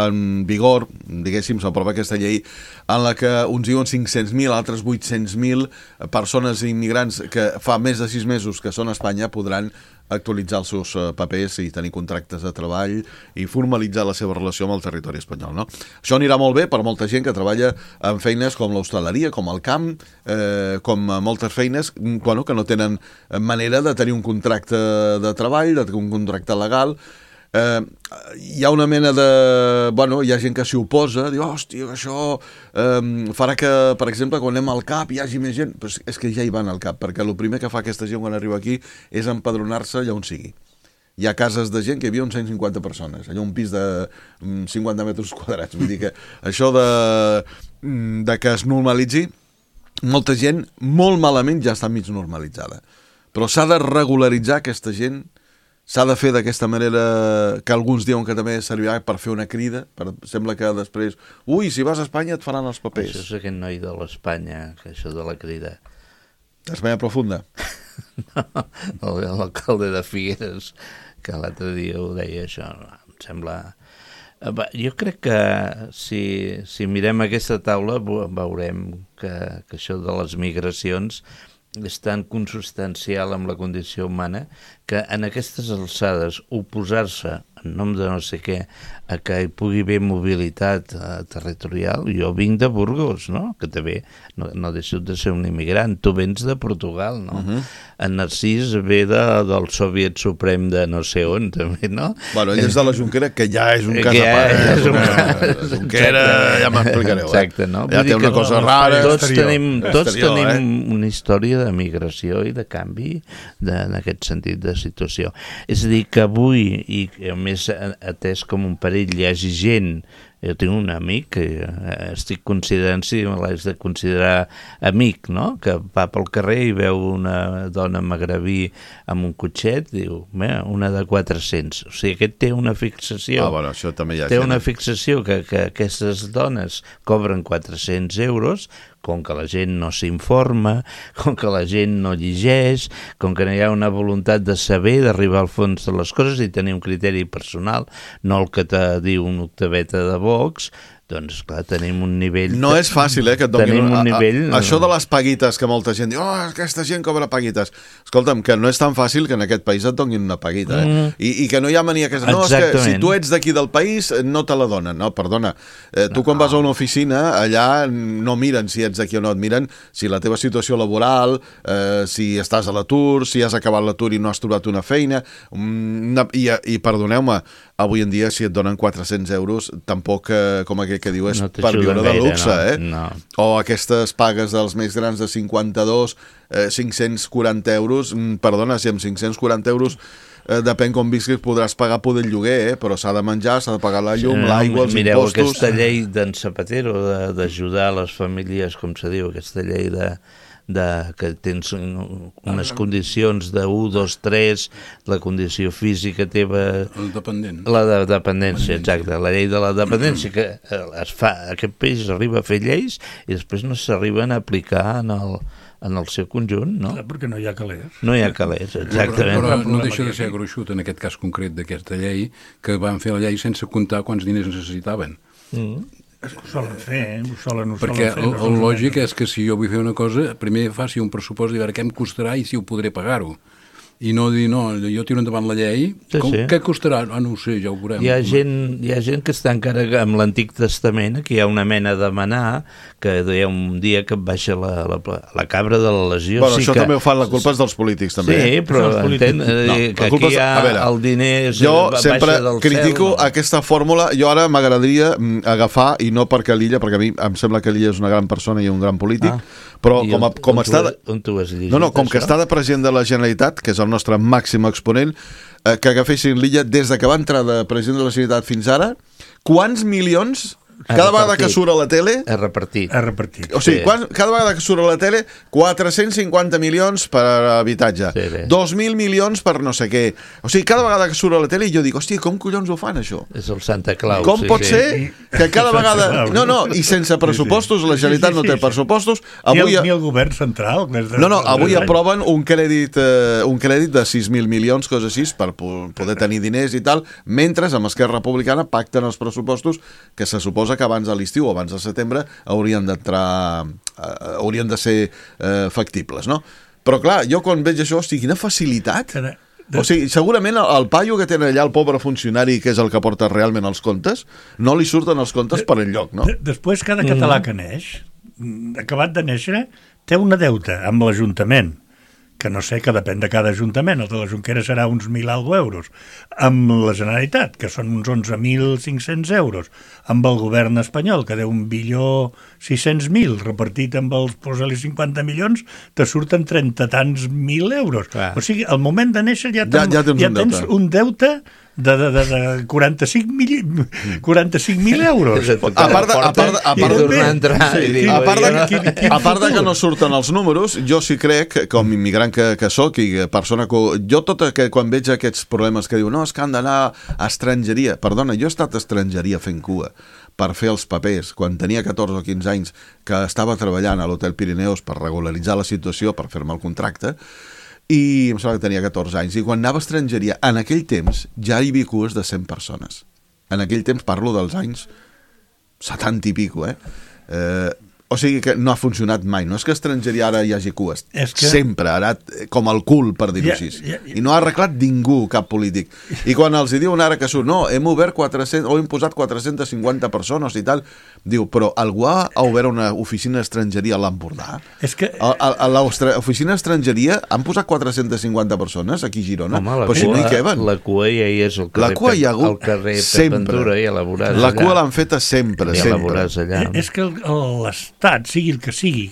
en vigor, diguéssim, s'aprova aquesta llei en la que uns diuen 500.000, altres 800.000 persones immigrants que fa més de 6 mesos que són a Espanya podran actualitzar els seus papers i tenir contractes de treball i formalitzar la seva relació amb el territori espanyol, no? Això anirà molt bé per molta gent que treballa en feines com l'hostaleria, com el camp, com moltes feines que no tenen manera de tenir un contracte de treball, de tenir un contracte legal. Hi ha una mena de... hi ha gent que s'hi oposa, diu, hòstia, això farà que, per exemple, quan anem al CAP hi hagi més gent. Però és que ja hi van al CAP, perquè el primer que fa aquesta gent quan arriba aquí és empadronar-se allà on sigui. Hi ha cases de gent que hi havia 150 persones, allà un pis de 50 metres quadrats. Vull dir que això de que es normalitzi, molta gent molt malament ja està mig normalitzada. Però s'ha de regularitzar aquesta gent. S'ha de fer d'aquesta manera que alguns diuen que també servirà per fer una crida. Sembla que després, si vas a Espanya et faran els papers. Això és aquest noi de l'Espanya, que això de la crida. D'Espanya profunda? No, l'alcalde de Figueres, que l'altre dia ho deia això, em sembla... Jo crec que si mirem aquesta taula veurem que això de les migracions és tan consubstancial amb la condició humana que en aquestes alçades oposar-se en nom de no sé què a que hi pugui haver mobilitat territorial. Jo vinc de Burgos, no? Que també no deixo de ser un immigrant. Tu vens de Portugal, no? En Narcís ve del Soviet Suprem de no sé on, també, no? Ell és de la Jonquera, que ja és un cas a part. La Jonquera, ja m'explicareu. Exacte, no? Ja té una cosa rara. Tots tenim una història de migració i de canvi en aquest sentit de situació. És a dir, que avui, i a més atès com un perill, hi hagi gent. Jo tinc un amic que estic considerant, si me l'haig de considerar amic, no? Que va pel carrer i veu una dona magrebí amb un cotxet, diu, una de 400. O sigui, aquest té una fixació. Això també hi ha té una fixació que aquestes dones cobren 400 euros, com que la gent no s'informa, com que la gent no llegeix, com que no hi ha una voluntat de saber, d'arribar al fons de les coses i tenir un criteri personal, no el que te diu un octaveta de Vox, Doncs, clar, tenim un nivell... No és fàcil, que et donin... Tenim un nivell... Això de les paguites, que molta gent diu, aquesta gent cobra paguites. Escolta'm, que no és tan fàcil que en aquest país et donin una paguita, I que no hi ha mania que... No, és que si tu ets d'aquí del país, no te la donen. No, perdona. Tu quan vas a una oficina, allà no miren si ets d'aquí o no, et miren si la teva situació laboral, si estàs a l'atur, si has acabat l'atur i no has trobat una feina... I perdoneu-me, avui en dia, si et donen 400 euros, tampoc, com aquell que diu, és per viure de luxe, no. O aquestes pagues dels més grans de 52, 540 euros, perdona, si amb 540 euros depèn com visquis, podràs pagar poder el lloguer, però s'ha de menjar, s'ha de pagar la llum, l'aigua, els mireu, impostos... Mireu, aquesta llei d'en Zapatero, d'ajudar les famílies, com se diu, aquesta llei que tens unes condicions de 1, 2, 3, la condició física teva... El dependent. La de dependència, exacte. La llei de la dependència, que es fa, aquest país arriba a fer lleis i després no s'arriben a aplicar en el seu conjunt, no? Clar, perquè no hi ha calés. No hi ha calés, exactament. Però no deixa de ser gruixut en aquest cas concret d'aquesta llei, que van fer la llei sense comptar quants diners necessitaven. Ho solen fer, Perquè el lògic és que si jo vull fer una cosa, primer faci un pressupost de veure què em costarà i si ho podré pagar-ho. I no dir, no, jo tiro endavant la llei, què costarà? No ho sé, ja ho veurem. Hi ha gent que està encara amb l'Antic Testament, que hi ha una mena de manar, que hi ha un dia que et baixa la cabra de la legió. Bueno, això també ho fan, la culpa és dels polítics, també. Sí, però entén que aquí hi ha el diner baixa del cel. Jo sempre critico aquesta fòrmula. Jo ara m'agradaria agafar, i no perquè l'Illa, perquè a mi em sembla que l'Illa és una gran persona i un gran polític, però com està... On tu has llegit? No, com que està de president de la Generalitat, que és el nostre màxim exponent, que agafessin l'Illa des de que va entrar de president de la Generalitat fins ara, quants milions... Cada vegada que surt a la tele... És repartit. O sigui, cada vegada que surt a la tele, 450 milions per habitatge, 2.000 milions per no sé què. O sigui, cada vegada que surt a la tele jo dic, hòstia, com collons ho fan, això? És el Santa Claus. Com pot ser que cada vegada... No, i sense pressupostos, la Generalitat no té pressupostos. Ni el govern central. No, avui aproven un crèdit de 6.000 milions, coses així, per poder tenir diners i tal, mentre amb Esquerra Republicana pacten els pressupostos que se suposa que abans de l'estiu o abans de setembre haurien de ser factibles, no? Però clar, jo quan veig això, hosti, quina facilitat! O sigui, segurament el paio que tenen allà, el pobre funcionari, que és el que porta realment els comptes, no li surten els comptes per enlloc, no? Després, cada català que neix, acabat de néixer, té una deuta amb l'Ajuntament, que no sé, que depèn de cada ajuntament, el de la Jonquera serà uns 1.000 euros, amb la Generalitat, que són uns 11.500 euros, amb el govern espanyol, que deu 1.600.000, repartit amb els posa-li 50 milions, te surten 30 tants mil euros. O sigui, al moment de néixer ja tens un deute de 45.000 euros. A part de que no surten els números, jo sí crec, com immigrant que soc i persona que... Jo quan veig aquests problemes que diu no, és que han d'anar a estrangeria. Perdona, jo he estat a estrangeria fent cua per fer els papers, quan tenia 14 o 15 anys, que estava treballant a l'Hotel Pirineus per regularitzar la situació, per fer-me el contracte, i em sembla que tenia 14 anys, i quan anava a estrangeria, en aquell temps ja hi havia cues de 100 persones. En aquell temps parlo dels anys 70 i pico, o sigui que no ha funcionat mai. No és que a estrangeria ara hi hagi cues. Sempre, ara com el cul, per dir-ho així. I no ha arreglat ningú, cap polític. I quan els diuen ara que surt, no, hem obert 400, o hem posat 450 persones i tal, diu, però algú ha obert una oficina d'estrangeria a l'Empordà? A l'oficina d'estrangeria han posat 450 persones aquí a Girona, però si no hi queben. La cua ja hi és al carrer Ventura i a la Voràs. La cua l'han feta sempre, sempre. És que l'Estat, sigui el que sigui,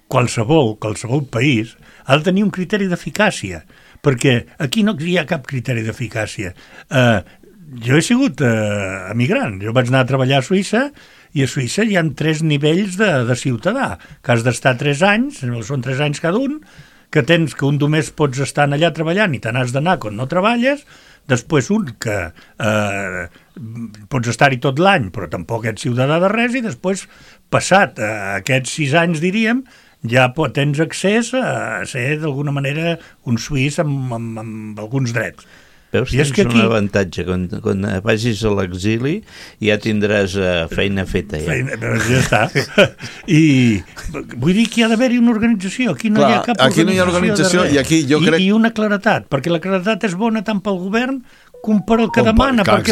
qualsevol país, ha de tenir un criteri d'eficàcia, perquè aquí no hi ha cap criteri d'eficàcia. Jo he sigut emigrant, jo vaig anar a treballar a Suïssa, i a Suïssa hi ha 3 nivells de ciutadà, que has d'estar 3 anys, són 3 anys cada un, que un només pots estar allà treballant i te n'has d'anar quan no treballes, després un que pots estar-hi tot l'any però tampoc ets ciutadà de res, i després, passat aquests 6 anys, diríem, ja tens accés a ser d'alguna manera un suís amb alguns drets. Veus, tens un avantatge. Quan vagis a l'exili ja tindràs feina feta. Ja està. I vull dir que hi ha d'haver-hi una organització. Aquí no hi ha cap organització. Aquí no hi ha organització i aquí jo crec... I una claretat, perquè la claretat és bona tant pel govern com per el que demana, perquè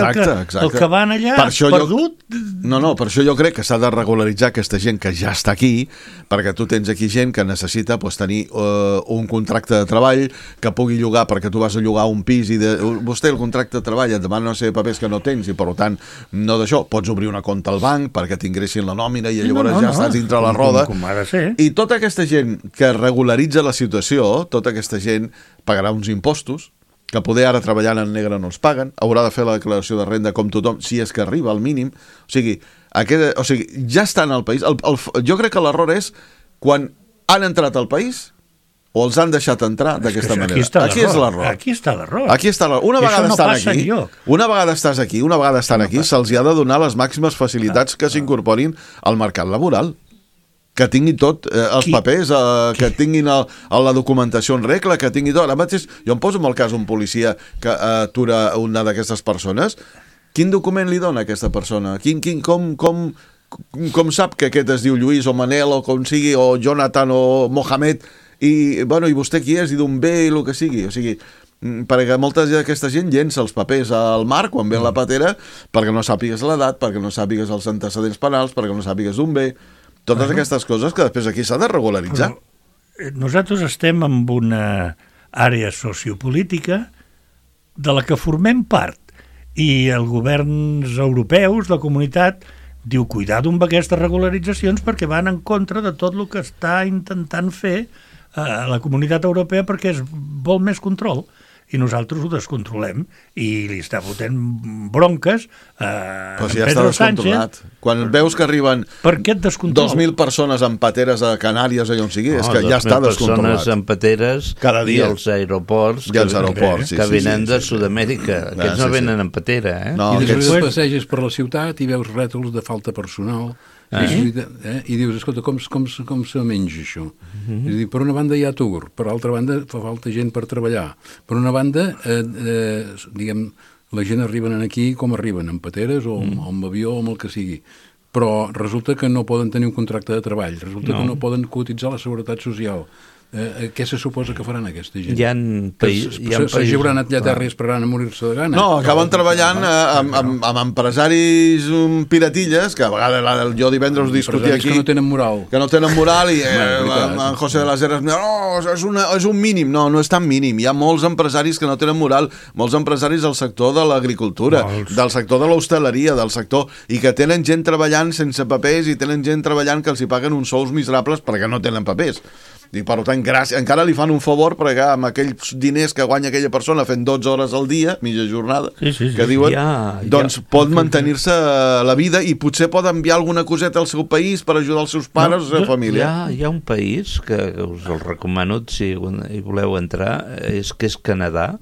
el que van allà perdut... No, per això jo crec que s'ha de regularitzar aquesta gent que ja està aquí, perquè tu tens aquí gent que necessita tenir un contracte de treball, que pugui llogar, perquè tu vas a llogar un pis i vostè el contracte de treball et demana una sèrie de papers que no tens i per tant no d'això, pots obrir una compte al banc perquè t'ingressin la nòmina i llavors ja estàs dintre la roda. I tota aquesta gent que regularitza la situació, tota aquesta gent pagarà uns impostos que poder ara treballant en negre no els paguen, haurà de fer la declaració de renda com tothom, si és que arriba al mínim. O sigui, ja estan al país. Jo crec que l'error és quan han entrat al país o els han deixat entrar d'aquesta manera. Aquí és l'error. Aquí està l'error. Una vegada estàs aquí, se'ls ha de donar les màximes facilitats que s'incorporin al mercat laboral. Que tingui tot els papers, que tinguin la documentació en regla, que tingui tot. Ara mateix, jo em poso en el cas un policia que atura una d'aquestes persones. Quin document li dona a aquesta persona? Com sap que aquest es diu Lluís o Manel o com sigui, o Jonathan o Mohamed, i vostè qui és, i d'on ve, i el que sigui. O sigui, perquè molta d'aquesta gent llença els papers al mar quan ve la patera perquè no sàpigues l'edat, perquè no sàpigues els antecedents penals, perquè no sàpigues d'on ve. Totes aquestes coses que després aquí s'ha de regularitzar. Nosaltres estem en una àrea sociopolítica de la que formem part i els governs europeus, la comunitat, diu cuidado amb aquestes regularitzacions perquè van en contra de tot el que està intentant fer la comunitat europea perquè vol més control. I nosaltres ho descontrolem i li està fotent bronques a si ja Pedro està descontrolat. Quan veus que arriben 2.000 persones en pateres a Canàries o on sigui, és que ja està descontrolat. 2.000 persones en pateres i els aeroports que venen de Sud-amèrica. Aquests no venen en patera. I després passeges per la ciutat i veus rètols de falta personal i dius, escolta, com se menja això? És a dir, per una banda hi ha atur, per l'altra banda fa falta gent per treballar. Per una banda, diguem, la gent arriben aquí com arriben, amb pateres o amb avió o amb el que sigui. Però resulta que no poden tenir un contracte de treball, resulta que no poden cotitzar la seguretat social. Què se suposa que faran aquesta gent? Hi ha països... S'hauran anat allà a terra i esperaran a morir-se de gana? No, acaben treballant amb empresaris piratilles, que a vegades jo divendres discutia aquí... que no tenen moral. Que no tenen moral i en José de las Heras és un mínim. No és tan mínim. Hi ha molts empresaris que no tenen moral, molts empresaris del sector de l'agricultura, del sector de l'hostaleria, del sector... i que tenen gent treballant sense papers i tenen gent treballant que els hi paguen uns sous miserables perquè no tenen papers. I per tant, encara li fan un favor perquè amb aquells diners que guanya aquella persona fent 12 hores al dia, mitja jornada, que diuen, doncs pot mantenir-se la vida i potser pot enviar alguna coseta al seu país per ajudar els seus pares o la seva família. Hi ha un país que us el recomano si hi voleu entrar, és Canadà,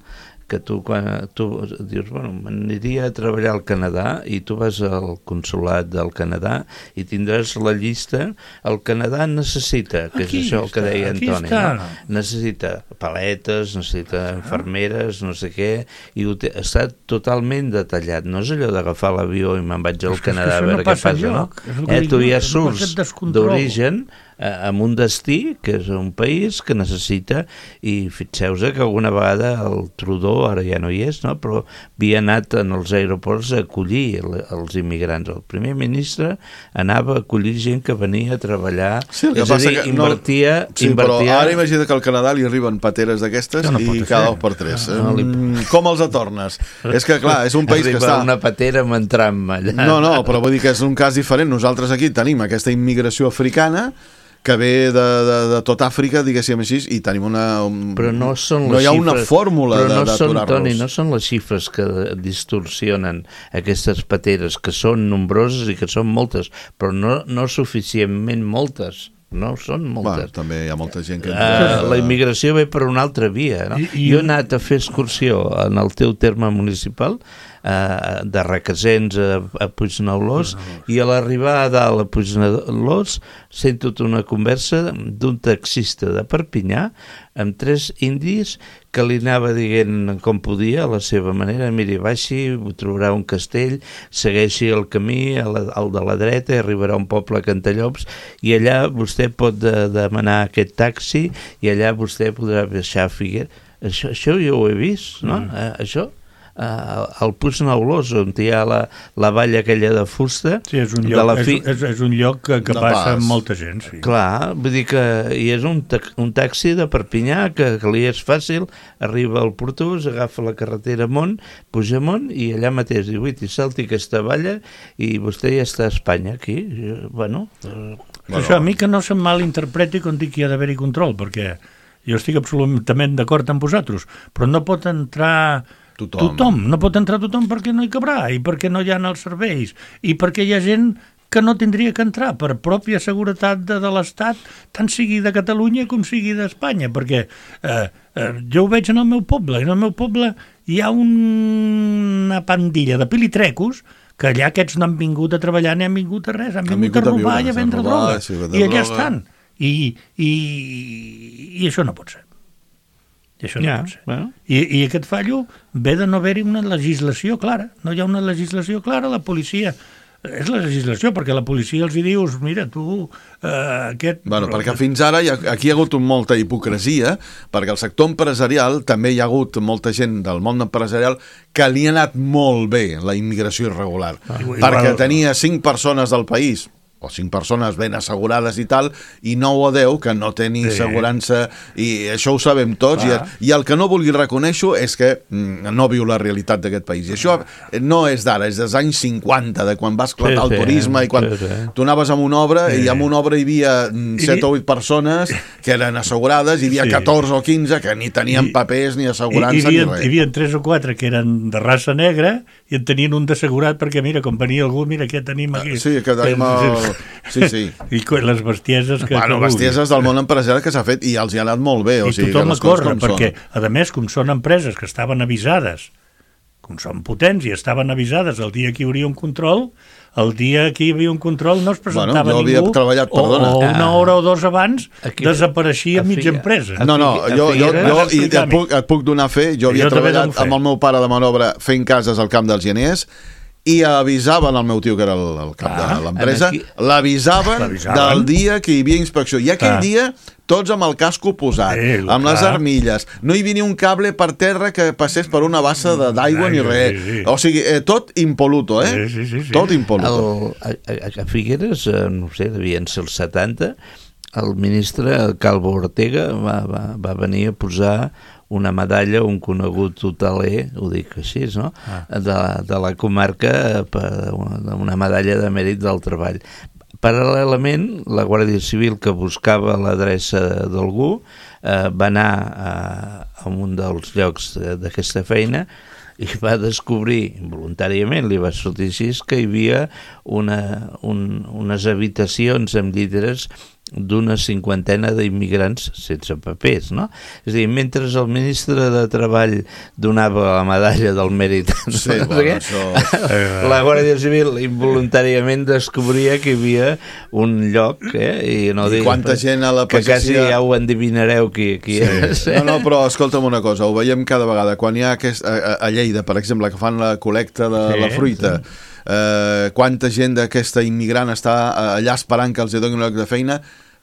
que tu dius, bueno, m'aniria a treballar al Canadà i tu vas al consolat del Canadà i tindràs la llista. El Canadà necessita, que és això que deia Antoni, necessita paletes, necessita infermeres, no sé què, i està totalment detallat. No és allò d'agafar l'avió i me'n vaig al Canadà a veure què passa, no? Tu ja surts d'origen amb un destí, que és un país que necessita, i fixeu-vos que alguna vegada el Trudeau, ara ja no hi és, no? Però havia anat en els aeroports a acollir els immigrants. El primer ministre anava a acollir gent que venia a treballar, és a dir, invertia... Però ara imagina que al Canadà li arriben pateres d'aquestes i cada 2 per 3. Com els atornes? És que, clar, és un país que està... Arriba una patera amb un tram allà. No, però vull dir que és un cas diferent. Nosaltres aquí tenim aquesta immigració africana que ve de tot Àfrica, diguéssim així, i tenim però no són no hi ha una fórmula d'aturar-los. Toni, no són les xifres que distorsionen aquestes pateres, que són nombroses i que són moltes, però no suficientment moltes. No són moltes. També hi ha molta gent que... La immigració ve per una altra via, no? Jo he anat a fer excursió en el teu terme municipal de Requesens a Puigneulós, i a l'arribar a dalt a Puigneulós sento una conversa d'un taxista de Perpinyà amb 3 indis que li anava dient com podia, a la seva manera: miri, baixi, trobarà un castell, segueixi el camí, al de la dreta, i arribarà a un poble a Cantallops, i allà vostè pot demanar aquest taxi, i allà vostè podrà baixar a Figueres. Això jo ho he vist, no? Això al Puigneulós, on hi ha la valla aquella de fusta. Sí, és un lloc que passa amb molta gent, sí. Clar, vull dir que hi és un taxi de Perpinyà que li és fàcil, arriba al Portús, agafa la carretera amunt, puja amunt, i allà mateix diu, i salti aquesta valla i vostè ja està a Espanya, aquí. Bueno... Això a mi que no se'm malinterpreti quan dic que hi ha d'haver-hi control, perquè jo estic absolutament d'acord amb vosaltres, però no pot entrar... Tothom. No pot entrar tothom perquè no hi cabrà, i perquè no hi ha els serveis, i perquè hi ha gent que no tindria que entrar per pròpia seguretat de l'Estat, tant sigui de Catalunya com sigui d'Espanya, perquè jo ho veig en el meu poble, i en el meu poble hi ha una pandilla de pilitrecos que allà aquests no han vingut a treballar ni han vingut a res, han vingut a robar i a vendre droga, i allà estan. I això no pot ser. I això no pot ser. Bueno. I aquest fallo ve de no haver-hi una legislació clara. No hi ha una legislació clara, la policia... És la legislació, perquè la policia els hi dius, mira, tu... Bueno, perquè fins ara aquí hi ha hagut molta hipocresia, perquè el sector empresarial també hi ha hagut molta gent del món empresarial que li ha anat molt bé la immigració irregular, perquè tenia 5 persones del país, o 5 persones ben assegurades i tal, i 9 o 10 que no tenen assegurança, i això ho sabem tots, i el que no vulgui reconèixer és que no viu la realitat d'aquest país. I això no és d'ara, és dels anys 50, de quan va esclatar el turisme, i quan tu anaves a una obra, i en una obra hi havia 7 o 8 persones que eren assegurades, hi havia 14 o 15 que ni tenien papers, ni assegurança, ni res. Hi havia 3 o 4 que eren de raça negra, i en tenien un d'assegurat, perquè mira, com venia algú, mira què tenim aquí. Sí, que tenim Sí. I les bestieses que... Bueno, bestieses del món empresarial que s'ha fet, i els hi ha anat molt bé. I tothom a córrer, perquè, a més, com són empreses que estaven avisades, com són potents i estaven avisades el dia que hi hauria un control, el dia que hi havia un control no es presentava ningú, o una hora o 2 abans desapareixia mitja empresa. No, jo et puc donar fe, jo havia treballat amb el meu pare de Manobra fent cases al Camp dels Geners, i avisaven el meu tio, que era el cap de l'empresa, l'avisaven del dia que hi havia inspecció. I aquell dia, tots amb el casco posat, amb les armilles, no hi havia ni un cable per terra que passés per una bassa d'aigua ni res. O sigui, tot impoluto, Tot impoluto. A Figueres, no sé, devien ser els 70, el ministre Calvo Ortega va venir a posar una medalla, un conegut hoteler, ho dic així, no? De la comarca, una medalla de mèrit del treball. Paral·lelament, la Guàrdia Civil, que buscava l'adreça d'algú, va anar a un dels llocs d'aquesta feina i va descobrir, voluntàriament li va sortir així, que hi havia unes habitacions amb llibres d'una 50ena d'immigrants sense papers, no? És a dir, mentre el ministre de Treball donava la medalla del mèrit, la Guàrdia Civil involuntàriament descobria que hi havia un lloc, i no dic... Quanta gent a la pagesia... Que quasi ja ho endivinareu qui és. No, però escolta'm una cosa, ho veiem cada vegada. Quan hi ha a Lleida, per exemple, que fan la col·lecta de la fruita, quanta gent d'aquesta immigrant està allà esperant que els donin un lloc de feina,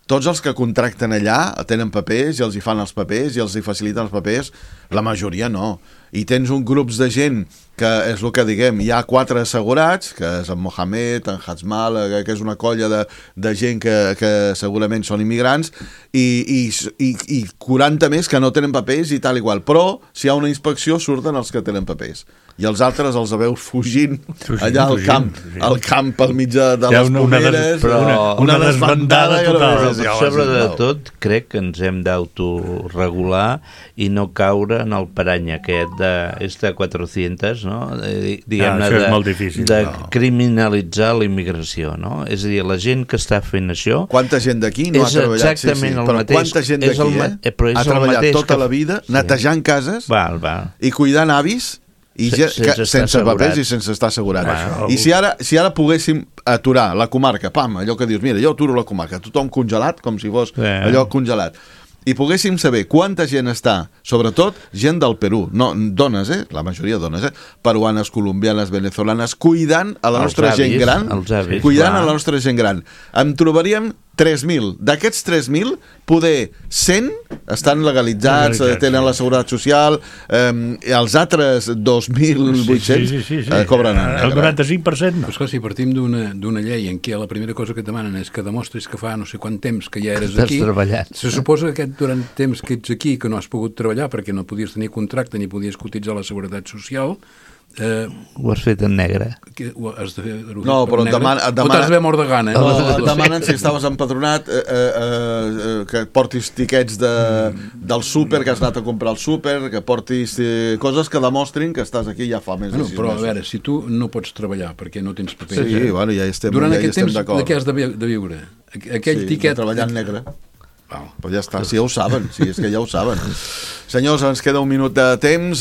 tots els que contracten allà tenen papers i els hi fan els papers i els hi faciliten els papers, la majoria no. I tens un grups de gent que és el que diguem, hi ha 4 assegurats, que és en Mohamed, en Hazmal, que és una colla de gent que segurament són immigrants, i 40 més que no tenen papers i tal igual. Però si hi ha una inspecció surten els que tenen papers. I els altres els veus fugint allà al camp al mig de les pomeres, una desbandada total. Sobretot crec que ens hem d'autoregular i no caure en el parany aquest de 400, no? Diguem-ne, de criminalitzar la immigració, no? És a dir, la gent que està fent això... Quanta gent d'aquí no ha treballat? És exactament el mateix. Però quanta gent d'aquí ha treballat tota la vida netejant cases i cuidant avis sense papers i sense estar assegurat. I si ara poguéssim aturar la comarca, allò que dius, mira, jo aturo la comarca, tothom congelat, com si fos allò congelat, i poguéssim saber quanta gent està, sobretot gent del Perú, no, dones, la majoria dones, peruanes, colombianes, venezolanes, cuidant a la nostra gent gran, cuidant a la nostra gent gran. Em trobaríem 3.000. D'aquests 3.000, poder 100 estan legalitzats, tenen la seguretat social, els altres 2.800 cobren en negre. El 95% no. Però esclar, si partim d'una llei en què la primera cosa que et demanen és que demostris que fa no sé quant temps que ja eres aquí, se suposa que durant temps que ets aquí, que no has pogut treballar perquè no podies tenir contracte ni podies cotitzar la seguretat social, ho has fet en negre. No, però et t'has d'haver mort de gana. Et demanen si estaves empadronat, que portis tiquets del súper, que has anat a comprar al súper, que portis coses que demostrin que estàs aquí ja fa més de 6 mesos. Però a veure, si tu no pots treballar perquè no tens papers, bueno, ja estem d'acord. Durant aquest temps de què has de viure? Aquell tiquet... treballar en negre. Però ja està, si ja ho saben, si és que ja ho saben. Senyors, ens queda un minut de temps,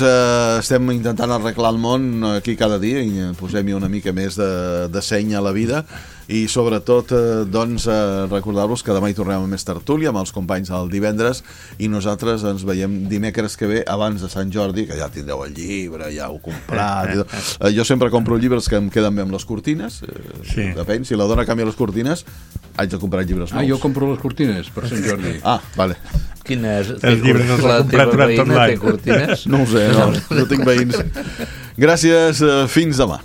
estem intentant arreglar el món aquí cada dia i posem-hi una mica més de seny a la vida i sobretot doncs recordar-vos que demà hi tornem a més tertúlia amb els companys del divendres i nosaltres ens veiem dimecres que ve abans de Sant Jordi, que ja tindreu el llibre, ja ho comprat jo sempre compro llibres que em queden bé amb les cortines, depèn, si la dona canvia les cortines haig de comprar llibres nous. Jo compro les cortines per Sant Jordi. Vale. Quina és? Els llibres els ha comprat durant tot l'any. No ho sé, no tinc veïns. Gràcies, fins demà.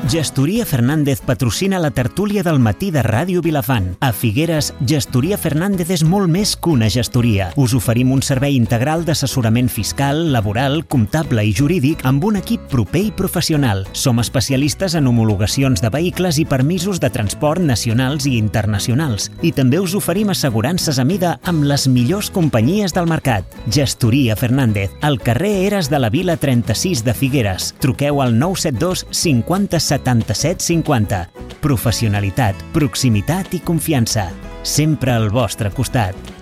Gestoria Fernández patrocina la tertúlia del matí de Ràdio Vilafant. A Figueres, Gestoria Fernández és molt més que una gestoria. Us oferim un servei integral d'assessorament fiscal, laboral, comptable i jurídic amb un equip proper i professional. Som especialistes en homologacions de vehicles i permisos de transport nacionals i internacionals. I també us oferim assegurances a mida amb les millors companyies del mercat. Gestoria Fernández, al carrer Eres de la Vila 36 de Figueres. Truqueu al 972 50 77 50. Professionalitat, proximitat i confiança. Sempre al vostre costat.